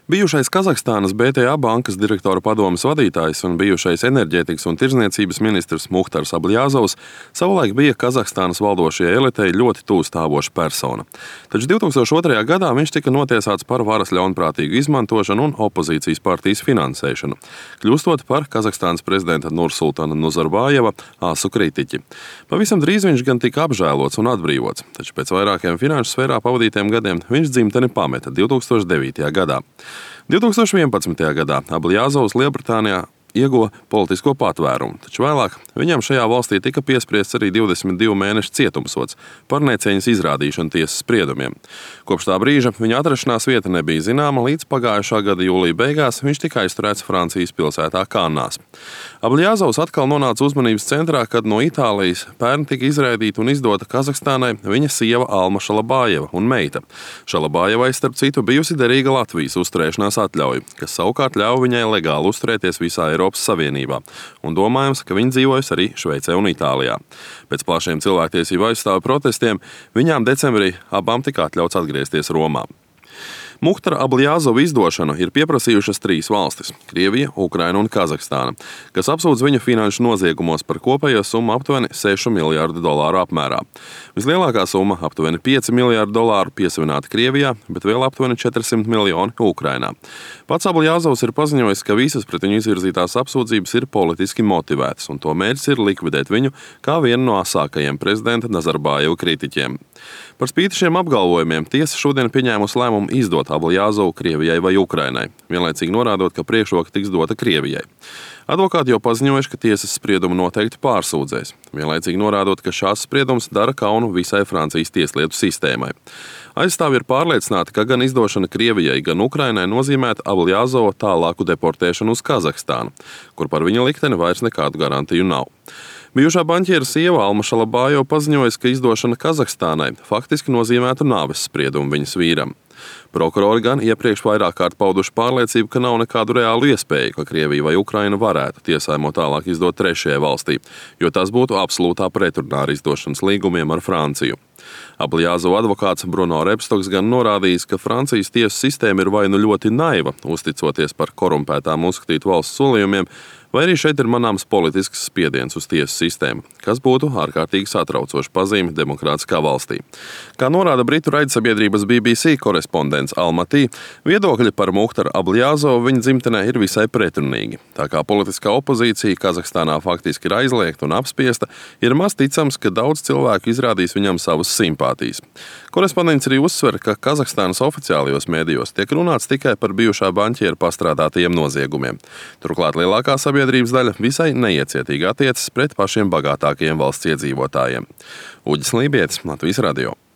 Bijušais Kazahstānas BTA bankas direktora padomes vadītājs un bijušais enerģētikas un tirdzniecības ministrs Muhtars Abljazovs savulaik bija Kazahstānas valdošajai elitei ļoti tūstāvoša persona. Taču 2002. gadā viņš tika notiesāts par varas ļaunprātīgu izmantošanu un opozīcijas partijas finansēšanu, kļūstot par Kazahstānas prezidenta Nursultana Nazarbājeva asu kritiķi. Pavisam drīz viņš gan tika apžēlots un atbrīvots, taču pēc vairākiem finanšu sfērā pavadītiem gadiem viņš dzimteni pameta 2009. gadā. 2011. gadā Abljazovs Lielbritānijā ieguva politisko patvērumu, taču vēlāk viņam šajā valstī tika piespriests arī 22 mēnešu cietumsods par necieņas izrādīšanu tiesas spriedumiem. Kopš tā brīža viņa atrašanās vieta nebija zināma, līdz pagājušā gada jūlija beigās viņš tika aizturēts Francijas pilsētā Kannās. Abljazovs atkal nonāca uzmanības centrā, kad no Itālijas pērn tika izraidīta un izdota Kazahstānai viņa sieva Alma Šalabājeva un meita. Šalabājevai, starp citu, bijusi derīga Latvijas uzturēšanās atļauja, kas savukārt ļauj viņai legāli uzturēties visā Eiropas Savienībā, un domājams, ka viņa dzīvojas arī Šveicē un Itālijā. Pēc plašiem cilvēktiesību aizstāvju protestiem viņām decembrī abām tika atļauts atgriezties Romā. Muhtara Abljazova izdošanu ir pieprasījušas 3 valstis – Krievija, Ukraina un Kazahstāna, kas apsūdz viņu finanšu noziegumos par kopējo summu aptuveni $6 miljārdu apmērā. Vislielākā summa – aptuveni $5 miljārdu piesavināta Krievijā, bet vēl aptuveni 400 miljoni Ukrainā. Pats Abljazovs ir paziņojis, ka visas pret viņu izvirzītās apsūdzības ir politiski motivētas, un to mērķis ir likvidēt viņu kā vienu no asākajiem prezidenta Nazarbājeva kritiķiem. Par spīti šiem apgalvojumiem tiesa šodien pieņēmusi lēmumu izdot Abļazovu Krievijai vai Ukrainai, vienlaicīgi norādot, ka priekšroka tiks dota Krievijai. Advokāti jau paziņojuši, ka tiesas spriedumu noteikti pārsūdzēs, vienlaicīgi norādot, ka šāds spriedums dara kaunu visai Francijas tieslietu sistēmai. Aizstāvji ir pārliecināti, ka gan izdošana Krievijai, gan Ukrainai nozīmētu Abljazova tālāku deportēšanu uz Kazahstānu, kur par viņa likteni vairs nekādu garantiju nav. Bijušā banķiera sieva Alma Šalabājeva paziņoja, ka izdošana Kazahstānai faktiski nozīmētu nāves spriedumu viņas vīram. Prokurori gan iepriekš vairāk kārt pauduši pārliecību, ka nav nekādu reālu iespēju, ka Krievija vai Ukraina varētu tiesājumu tālāk izdot trešajai valstī, jo tas būtu absolūtā pretrunā ar izdošanas līgumiem ar Franciju. Abljazova advokāts Bruno Rebstoks gan norādījis, ka Francijas tiesu sistēma ir vai nu ļoti naiva, uzticoties par korumpētām uzskatītu valsts solījumiem, vai arī šeit ir manāms politisks spiediens uz tiesu sistēmu, kas būtu ārkārtīgi satraucoša pazīme demokrātiskā valstī. Kā norāda britu raidsabiedrības BBC korespondents Almatī, viedokļi par Muhtaru Abļazovu viņa dzimtenē ir visai pretrunīgi. Tā kā politiskā opozīcija Kazahstānā faktiski ir aizliegta un apspiesta, ir maz ticams, ka daudz cilvēku izrādīs viņam savas simpātijas. Korespondents arī uzsver, ka Kazahstānas oficiālajos mēdījos tiek runāts tikai par bijušā banķiera pastrādātajiem noziegumiem. Turklāt lielākā sabiedrības daļa visai neiecietīgi attiecas pret pašiem bagātākajiem valsts iedzīvotājiem. Uģis Lībietis, Latvijas radio.